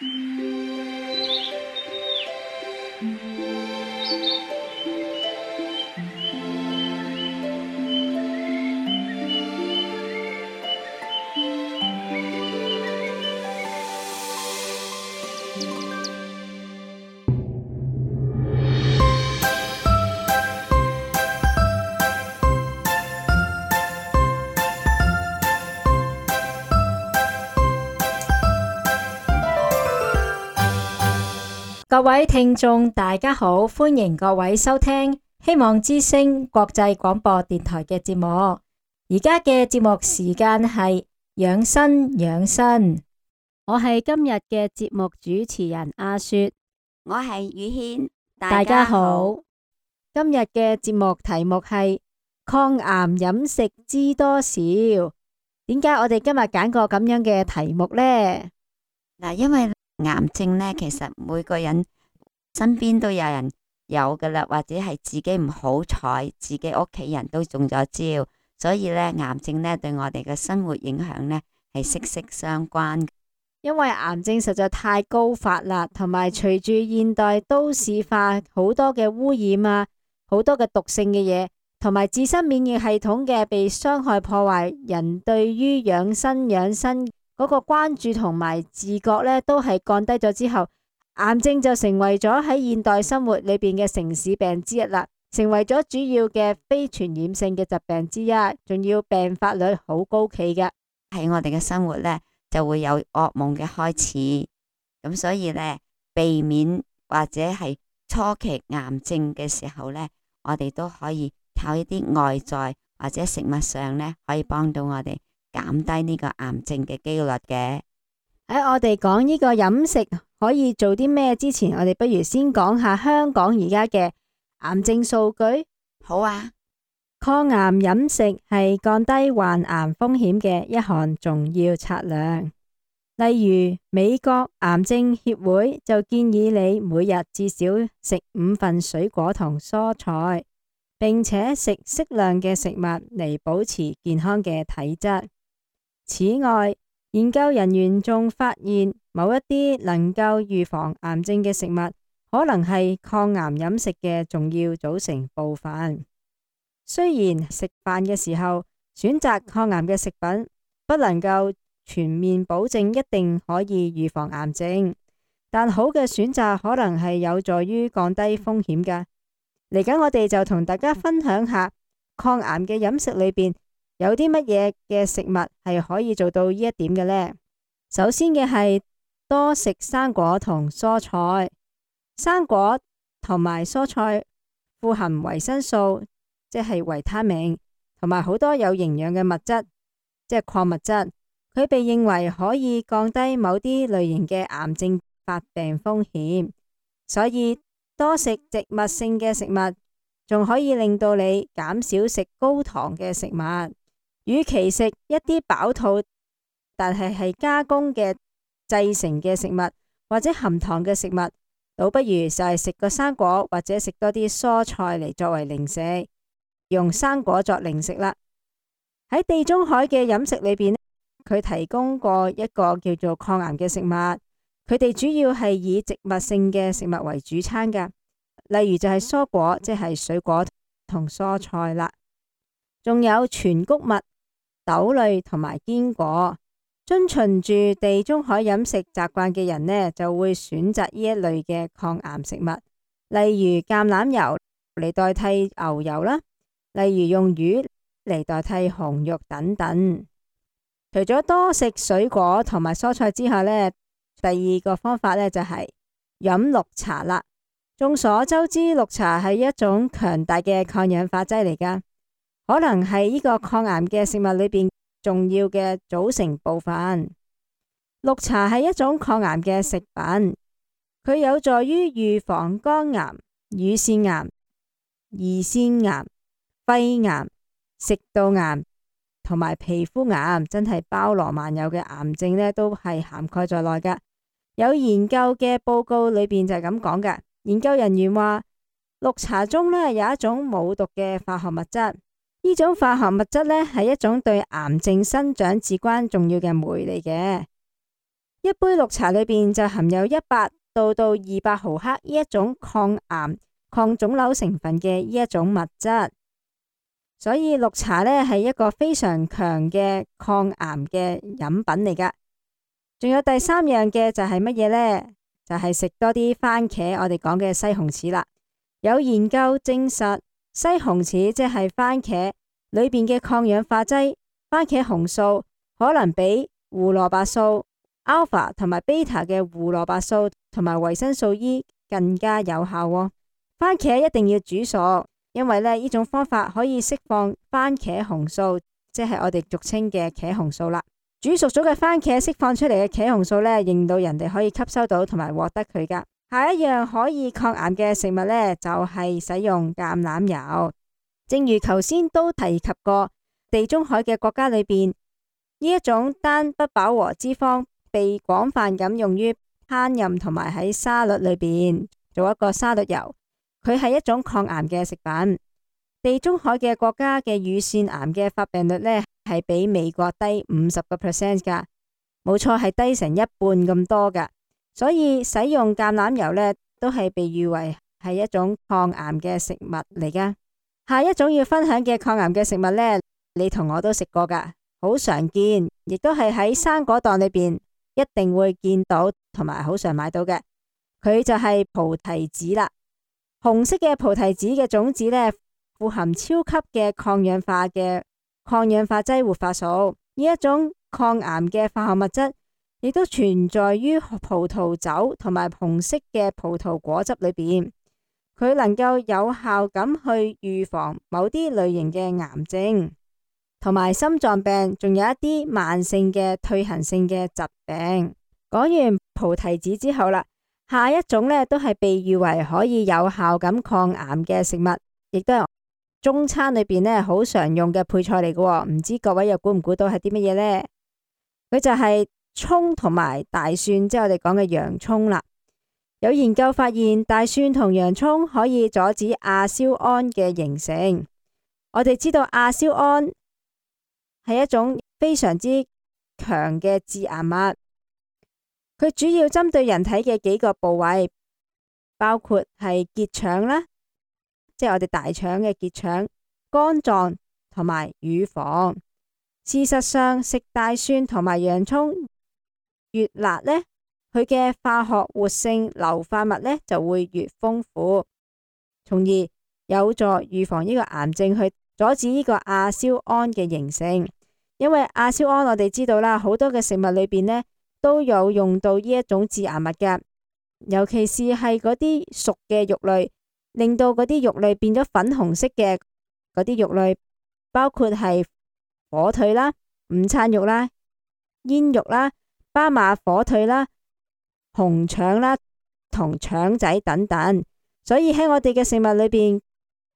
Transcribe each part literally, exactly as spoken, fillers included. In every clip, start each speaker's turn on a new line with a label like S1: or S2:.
S1: 各位聽眾大家好，歡迎各位收聽希望之聲國際廣播電台嘅節目。而家嘅節目時間係養生養生，我係今日嘅節目主持人阿雪，
S2: 我係宇軒，
S1: 大家好。今日嘅節目題目係抗癌飲食知多少？點解我哋今日揀個咁樣嘅題目呢？
S2: 嗱，因為癌症呢，其實每個人身邊都有人有噶啦，或者係自己唔好彩，自己屋企人都中咗招，所以呢，癌症呢對我哋嘅生活影響呢係息息相關。
S1: 因為癌症實在太高發啦，同埋隨住現代都市化，好多嘅污染啊，好多嘅毒性嘅嘢，同埋自身免疫系統嘅被傷害破壞，人對於養生養生嗰個關注同埋自覺呢都係降低咗之後，癌症就成為咗喺現代生活裏邊嘅城市病之一啦，成為咗主要嘅非傳染性嘅疾病之一，仲要病發率好高企嘅。
S2: 喺我哋嘅生活呢，就會有噩夢嘅開始，咁所以呢，避免或者係初期癌症嘅時候呢，我哋都可以靠一啲外在或者食物上呢，可以幫到我哋減低呢個癌症嘅機率嘅。
S1: 喺我哋講呢個飲食可以做啲咩之前，我哋不如先講下香港而家嘅癌症數據。
S2: 好啊，
S1: 抗癌飲食係降低患癌風險嘅一項重要策略。例如美國癌症協會就建議你每日至少食五份水果同蔬菜，並且食適量嘅食物嚟保持健康嘅體質。此外，研究人員仲發現某一啲能夠預防癌症嘅食物，可能係抗癌飲食嘅重要組成部分。雖然食飯嘅時候選擇抗癌嘅食品，不能夠全面保證一定可以預防癌症，但好嘅選擇可能係有助於降低風險㗎。嚟緊我哋就同大家分享下抗癌嘅飲食裏邊有啲乜嘢嘅食物係可以做到呢一點嘅呢？首先嘅係多食生果同蔬菜，生果同埋蔬菜富含維生素，即係維他命，同埋好多有營養嘅物質，即係礦物質。佢被認為可以降低某啲類型嘅癌症發病風險，所以多食植物性嘅食物，仲可以令到你減少食高糖嘅食物。與其食一啲飽肚但係係加工嘅製成嘅食物或者含糖嘅食物，倒不如就係食個生果或者食多啲蔬菜嚟作為零食，用生果作零食啦。喺地中海嘅飲食裏邊，佢提供過一個叫做抗癌嘅食物，佢哋主要係以植物性嘅食物為主餐噶，例如就係蔬果，即係水果同蔬菜啦，仲有全穀物、豆類同埋堅果。遵循住地中海飲食習慣嘅人呢，就會選擇呢一類嘅抗癌食物，例如橄欖油嚟代替牛油啦，例如用魚嚟代替紅肉等等。除咗多食水果同埋蔬菜之下呢，第二個方法呢就係飲綠茶啦。眾所周知，綠茶係一種強大嘅抗氧化劑嚟噶，可能係呢個抗癌嘅食物裏邊重要嘅組成部分。綠茶係一種抗癌嘅食品，佢有助於預防肝癌、乳腺癌、胰腺癌、肺癌、食道癌同埋皮膚癌，真係包羅萬有嘅癌症呢都係涵蓋在內噶。有研究嘅報告裏邊就係咁講噶，研究人員話綠茶中呢有一種冇毒嘅化學物質，呢種化學物質呢係一種對癌症生長至關重要嘅酶嚟嘅。一杯綠茶裏邊就含有一百到到二百毫克呢一種抗癌、抗腫瘤成分嘅呢一種物質，所以綠茶呢係一個非常強嘅抗癌嘅飲品嚟噶。仲有第三樣嘅就係乜嘢呢？就係食多啲番茄，我哋講嘅西紅柿啦。有研究證實，西紅柿即係番茄裏邊嘅抗氧化劑番茄紅素，可能比胡蘿蔔素 alpha 同埋 beta 嘅胡蘿蔔素同埋維生素 E 更加有效喎。番茄一定要煮熟，因為咧呢種方法可以釋放番茄紅素，即係我哋俗稱嘅茄紅素啦。煮熟咗嘅番茄釋放出嚟嘅茄紅素咧，令到人哋可以吸收到同埋獲得佢噶。下一樣可以抗癌嘅食物呢，就係使用橄欖油。正如頭先都提及過，地中海嘅國家裏邊，呢一種單不飽和脂肪被廣泛咁用於烹飪同埋喺沙律裏邊做一個沙律油，佢係一種抗癌嘅食品。地中海嘅國家嘅乳腺癌嘅發病率呢，係比美國低五十個 percent 噶，冇錯，係低成一半咁多噶。所以使用橄欖油呢，都係被譽為係一種抗癌嘅食物嚟噶。下一種要分享嘅抗癌嘅食物呢，你同我都食過噶，好常見，亦都係喺生果檔裏邊一定會見到，同埋好常買到嘅。佢就係菩提子啦。紅色嘅菩提子嘅種子呢，富含超級嘅抗氧化嘅抗氧化劑活化素，呢一種抗癌嘅化學物質，亦都存在於葡萄酒同埋紅色嘅葡萄果汁裏邊。佢能夠有效咁去預防某啲類型嘅癌症，同埋心臟病，仲有一啲慢性嘅退行性嘅疾病。講完菩提子之後啦，下一種呢都係被譽為可以有效咁抗癌嘅食物，亦都係中餐裏邊呢好常用嘅配菜嚟嘅。唔知各位又估唔估到係啲乜嘢呢？佢就係蔥同埋大蒜，即係我哋講嘅洋蔥啦。有研究發現，大蒜同洋蔥可以阻止亞硝胺嘅形成。我哋知道亞硝胺係一種非常之強嘅致癌物，佢主要針對人體嘅幾個部位，包括係結腸啦，即係我哋大腸嘅結腸、肝臟同埋乳房。事實上，食大蒜同埋洋蔥越辣呢，佢嘅化學活性硫化物呢就會越豐富，從而有助預防呢個癌症，去阻止呢個亞硝胺嘅形成。因為亞硝胺我哋知道啦，好多嘅食物裏邊呢都有用到呢一種致癌物嘅，尤其是係嗰啲熟嘅肉類，令到嗰啲肉類變咗粉紅色嘅嗰啲肉類，包括係火腿啦、午餐肉啦、煙肉啦、巴馬火腿啦、紅腸啦同腸仔等等。所以喺我哋嘅食物裏邊，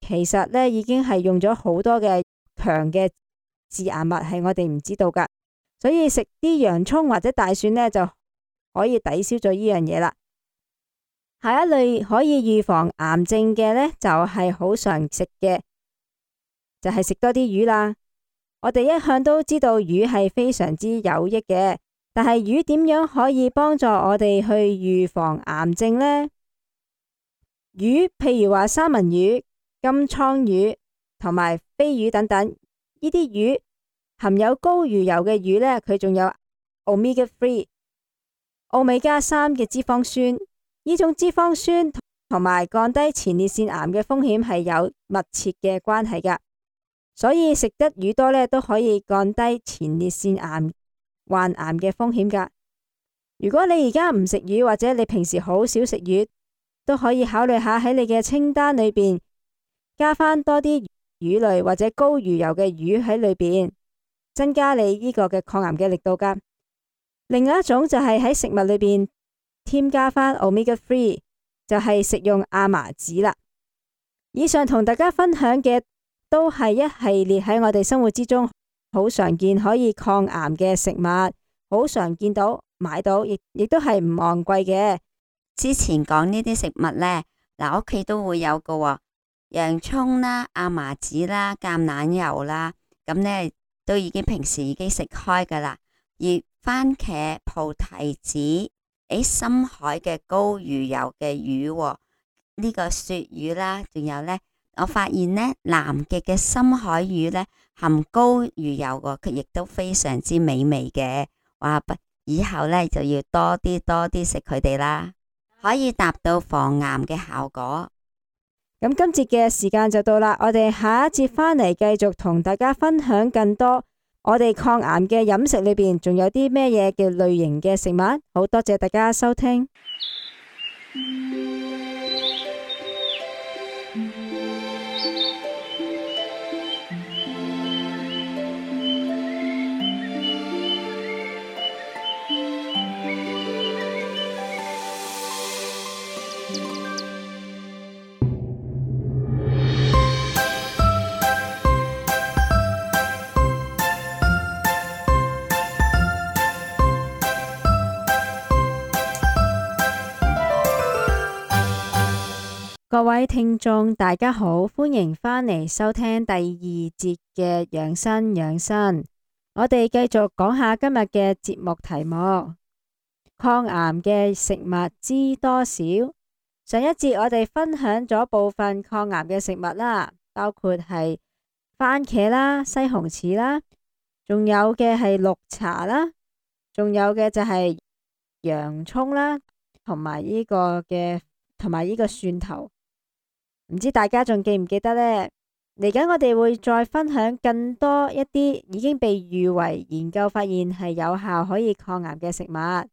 S1: 其實呢已經係用咗好多嘅強嘅致癌物，係我哋唔知道噶。所以食啲洋蔥或者大蒜呢，就可以抵消咗呢樣嘢啦。下一類可以預防癌症嘅呢，就係好常食嘅，就係食多啲魚啦。我哋一向都知道魚係非常之有益嘅，但係魚點樣可以幫助我哋去預防癌症呢？魚譬如話三文魚、金槍魚同埋飛魚等等，呢啲魚含有高魚油嘅魚呢，佢仲有 omega 三、奧美加三嘅脂肪酸。呢種脂肪酸同埋降低前列腺癌嘅風險係有密切嘅關係噶，所以食得魚多呢，都可以降低前列腺癌患癌嘅風險噶。如果你而家唔食魚，或者你平時好少食魚，都可以考慮下喺你嘅清單裏邊加翻多啲魚類或者高魚油嘅魚喺裏邊，增加你呢個嘅抗癌嘅力度噶。另外一種就係喺食物裏邊添加翻 omega 三，就係食用亞麻籽啦。以上同大家分享嘅都係一系列喺我哋生活之中好常見可以抗癌嘅食物，好常見到買到，亦亦都係唔昂貴嘅。
S2: 之前講呢啲食物呢，嗱屋企都會有嘅喎，洋蔥啦、亞麻籽啦、橄欖油啦，咁呢都已經平時已經食開噶啦。而番茄、菩提子，喺深海嘅高魚油嘅魚喎，呢個鱈魚啦，仲有呢，我發現呢，南極嘅深海魚呢，含高魚油喎，佢亦都非常之美味嘅。哇！以後呢，就要多啲多啲食佢哋啦，可以達到防癌嘅效果。
S1: 咁今節嘅時間就到啦，我哋下一節返嚟繼續同大家分享更多我哋抗癌嘅飲食裏邊仲有啲咩嘢嘅類型嘅食物。好多謝大家收聽。各位聽眾大家好，歡迎返嚟收聽第二節嘅養生養生。我哋繼續講下今日嘅節目題目：抗癌嘅食物知多少？上一節我哋分享咗部分抗癌嘅食物啦，包括係番茄啦、西紅柿啦，仲有嘅係綠茶啦，仲有嘅就係洋蔥啦，同埋呢個嘅同埋呢個蒜頭。唔知大家仲記唔記得呢？嚟緊我哋會再分享更多一啲已經被譽為研究發現係有效可以抗癌嘅食物，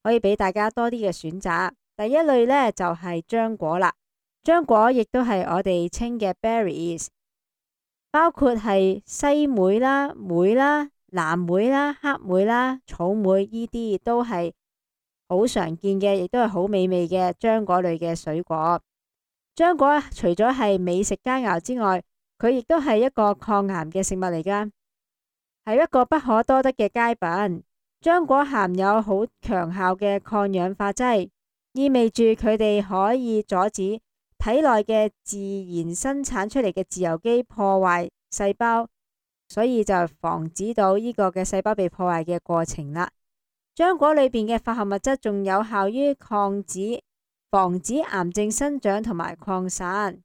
S1: 可以俾大家多啲嘅選擇。第一類呢，就係漿果啦，漿果亦都係我哋稱嘅 berries， 包括係西梅啦、梅啦、藍莓啦、黑莓啦、草莓，呢啲都係好常見嘅，亦都係好美味嘅漿果類嘅水果。漿果除咗係美食佳肴之外，佢亦都係一個抗癌嘅食物嚟噶，係一個不可多得嘅佳品。漿果含有好強效嘅抗氧化劑，意味住佢哋可以阻止體內嘅自然生產出嚟嘅自由基破壞細胞，所以就防止到呢個嘅細胞被破壞嘅過程啦。漿果裏邊嘅化學物質仲有效於抗止防止癌症生長同埋擴散，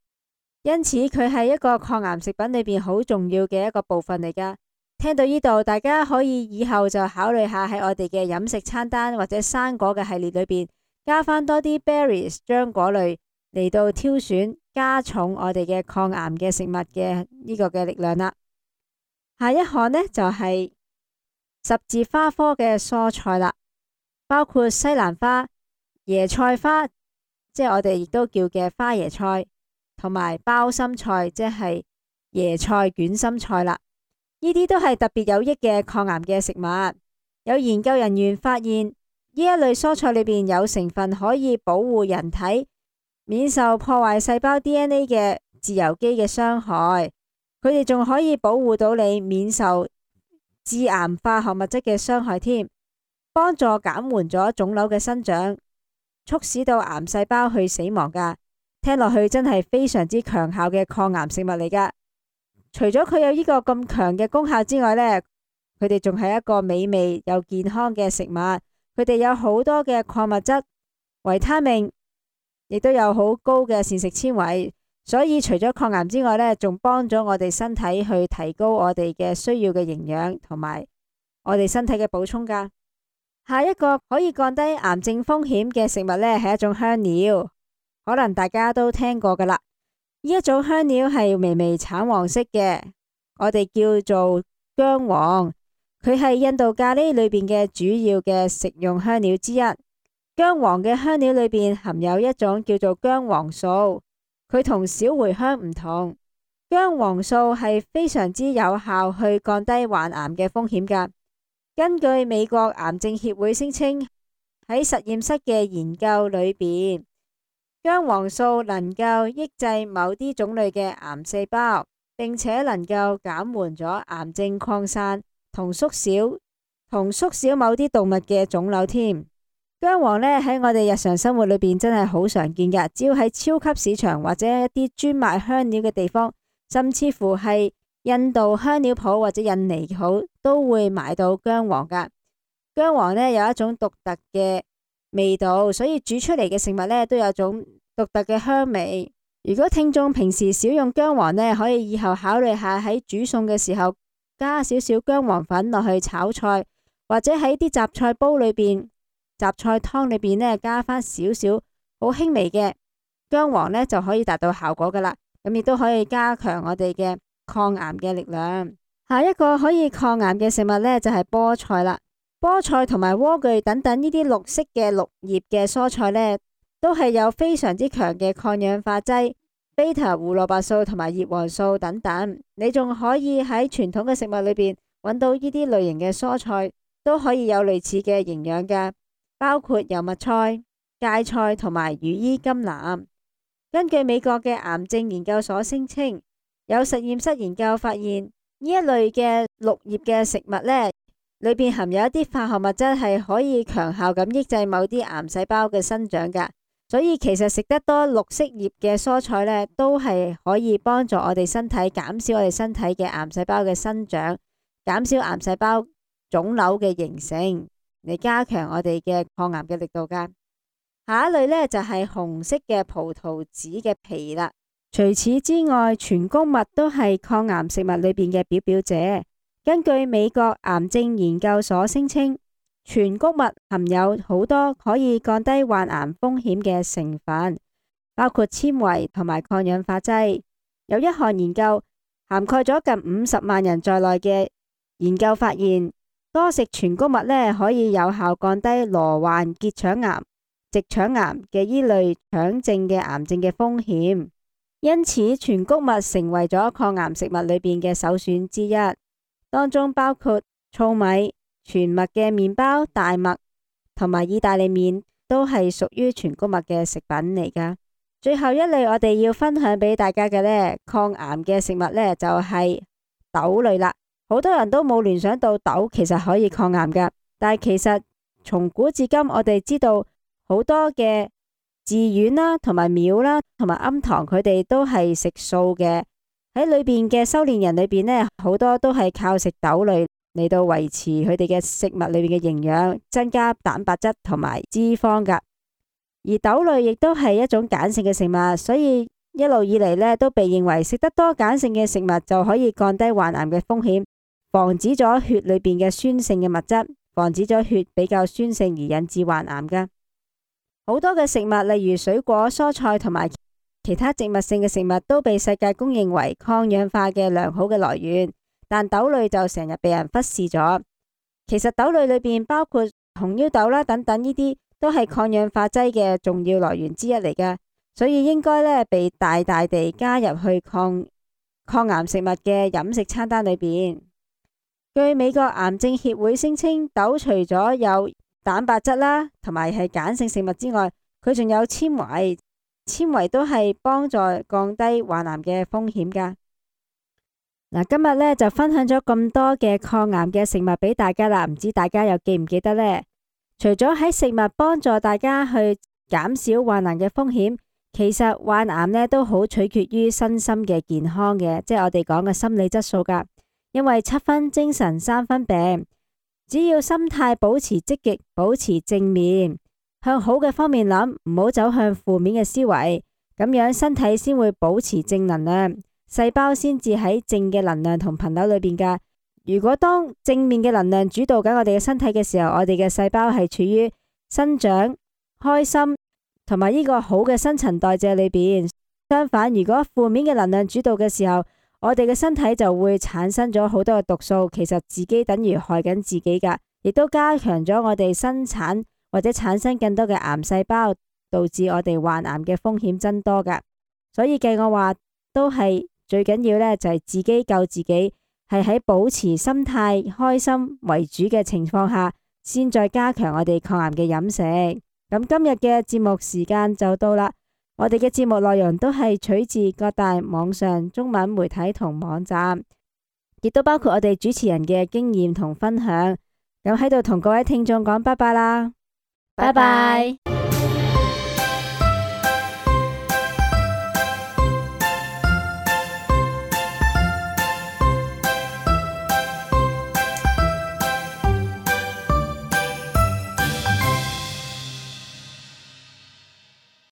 S1: 因此佢係一個抗癌食品裏邊好重要嘅一個部分嚟噶。聽到呢度，大家可以以後就考慮下喺我哋嘅飲食餐單或者生果嘅系列裏邊加翻多啲 berries 漿果類嚟到挑選，加重我哋嘅抗癌嘅食物嘅呢個嘅力量啦。下一項呢，就係十字花科嘅蔬菜啦，包括西蘭花、椰菜花，即係我哋亦都叫嘅花椰菜，同埋包心菜，即係椰菜捲心菜啦。呢啲都係特別有益嘅抗癌嘅食物。有研究人員發現，呢一類蔬菜裏邊有成分可以保護人體免受破壞細胞 D N A 嘅自由基嘅傷害。佢哋仲可以保護到你免受致癌化學物質嘅傷害添，幫助減緩咗腫瘤嘅生長，促使到癌細胞去死亡噶。聽落去真係非常之強效嘅抗癌食物嚟噶。除咗佢有呢個咁強嘅功效之外呢，佢哋仲係一個美味又健康嘅食物。佢哋有好多嘅礦物質、維他命，亦都有好高嘅膳食纖維，所以除咗抗癌之外呢，仲幫咗我哋身體去提高我哋嘅需要嘅營養同埋我哋身體嘅補充噶。下一個可以降低癌症風險嘅食物呢，係一種香料，可能大家都聽過噶啦。呢一種香料係微微橙黃色嘅，我哋叫做薑黃。佢係印度咖喱裏邊嘅主要嘅食用香料之一。薑黃嘅香料裏邊含有一種叫做薑黃素，佢同小茴香唔同。薑黃素係非常之有效去降低患癌嘅風險噶。根據美國癌症協會聲稱，喺實驗室嘅研究裏邊，薑黃素能夠抑制某啲種類嘅癌細胞，並且能夠減緩咗癌症擴散同縮小同縮小某啲動物嘅腫瘤添。薑黃呢，喺我哋日常生活裏邊真係好常見噶，只要喺超級市場或者一啲專賣香料嘅地方，甚至乎係印度香料鋪或者印尼鋪都會買到薑黃噶。薑黃呢有一種獨特嘅味道，所以煮出嚟嘅食物呢都有種獨特嘅香味。如果聽眾平時少用薑黃呢，可以以後考慮下喺煮餸嘅時候加少少薑黃粉落去炒菜，或者喺啲雜菜煲裏邊、雜菜湯裏邊呢加翻少少好輕微嘅薑黃呢，就可以達到效果噶啦。咁亦都可以加強我哋嘅抗癌嘅力量。下一個可以抗癌嘅食物呢，就係菠菜啦。菠菜同埋萵苣等等呢啲綠色嘅綠葉嘅蔬菜呢，都係有非常之強嘅抗氧化劑、β胡蘿蔔素同埋葉黃素等等。你仲可以喺傳統嘅食物裏邊揾到呢啲類型嘅蔬菜，都可以有類似嘅營養嘅，包括油麥菜、芥菜同埋羽衣甘藍。根據美國嘅癌症研究所聲稱，有實驗室研究發現，呢一類嘅綠葉嘅食物呢，裏邊含有一啲化學物質係可以強效咁抑制某啲癌細胞嘅生長噶，所以其實食得多綠色葉嘅蔬菜呢，都係可以幫助我哋身體減少我哋身體嘅癌細胞嘅生長，減少癌細胞腫瘤嘅形成，嚟加強我哋嘅抗癌嘅力度噶。下一類呢，就係紅色嘅葡萄籽嘅皮啦。除此之外，全穀物都係抗癌食物裏邊嘅表表者。根據美國癌症研究所聲稱，全穀物含有好多可以降低患癌風險嘅成分，包括纖維同埋抗氧化劑。有一項研究涵蓋咗近五十萬人在內嘅研究發現，多食全穀物呢，可以有效降低羅患結腸癌、直腸癌嘅依類腸症嘅癌症嘅風險。因此，全穀物成為咗抗癌食物裏邊嘅首選之一。當中包括糙米、全麥嘅麵包、大麥同埋意大利麵，都係屬於全穀物嘅食品嚟噶。最後一類我哋要分享俾大家嘅呢，抗癌嘅食物呢，就係豆類啦。好多人都冇聯想到豆其實可以抗癌噶，但係其實從古至今，我哋知道好多嘅寺院啦、同埋廟啦、同埋庵堂，佢哋都係食素嘅。喺裏邊嘅修煉人裏邊呢，好多都係靠食豆類嚟到維持佢哋嘅食物裏邊嘅營養，增加蛋白質同埋脂肪噶。而豆類亦都係一種鹼性嘅食物，所以一路以嚟呢，都被認為食得多鹼性嘅食物就可以降低患癌嘅風險，防止咗血裏邊嘅酸性嘅物質，防止咗血比較酸性而引致患癌噶。好多嘅食物，例如水果、蔬菜同埋其他植物性嘅食物都被世界公認為抗氧化嘅良好嘅來源，但豆類就成日被人忽視咗。其實豆類裏邊包括紅腰豆啦等等，呢啲都係抗氧化劑嘅重要來源之一嚟㗎，所以應該呢被大大地加入去抗抗癌食物嘅飲食餐單裏邊。據美國癌症協會聲稱，豆除咗有蛋白質啦同埋係鹼性食物之外，佢仲有纖維。纖維都係幫助降低患癌嘅風險噶。嗱，今日呢就分享咗咁多嘅抗癌嘅食物俾大家啦，唔知大家又記唔記得呢？除咗喺食物幫助大家去減少患癌嘅風險，其實患癌呢都好取決於身心嘅健康嘅，即係我哋講嘅心理質素噶。因為七分精神三分病，只要心態保持積極，保持正面，向好嘅方面諗，唔好走向負面嘅思維，咁樣身體先會保持正能量，細胞先至喺正嘅能量同頻率裏邊噶。如果當正面嘅能量主導緊我哋嘅身體嘅時候，我哋嘅細胞係處於生長、開心同埋呢個好嘅新陳代謝裏邊。相反，如果負面嘅能量主導嘅時候，我哋嘅身體就會產生咗好多嘅毒素，其實自己等於害緊自己噶，亦都加強咗我哋生產或者產生更多嘅癌細胞，導致我哋患癌嘅風險增多噶。所以計我話都係最緊要呢，就係自己救自己，係喺保持心態開心為主嘅情況下，先再加強我哋抗癌嘅飲食。咁今日嘅節目時間就到啦。我哋嘅節目內容都係取自各大網上中文媒體同網站，亦都包括我哋主持人嘅經驗同分享。咁喺度同各位聽眾講拜拜啦。拜拜。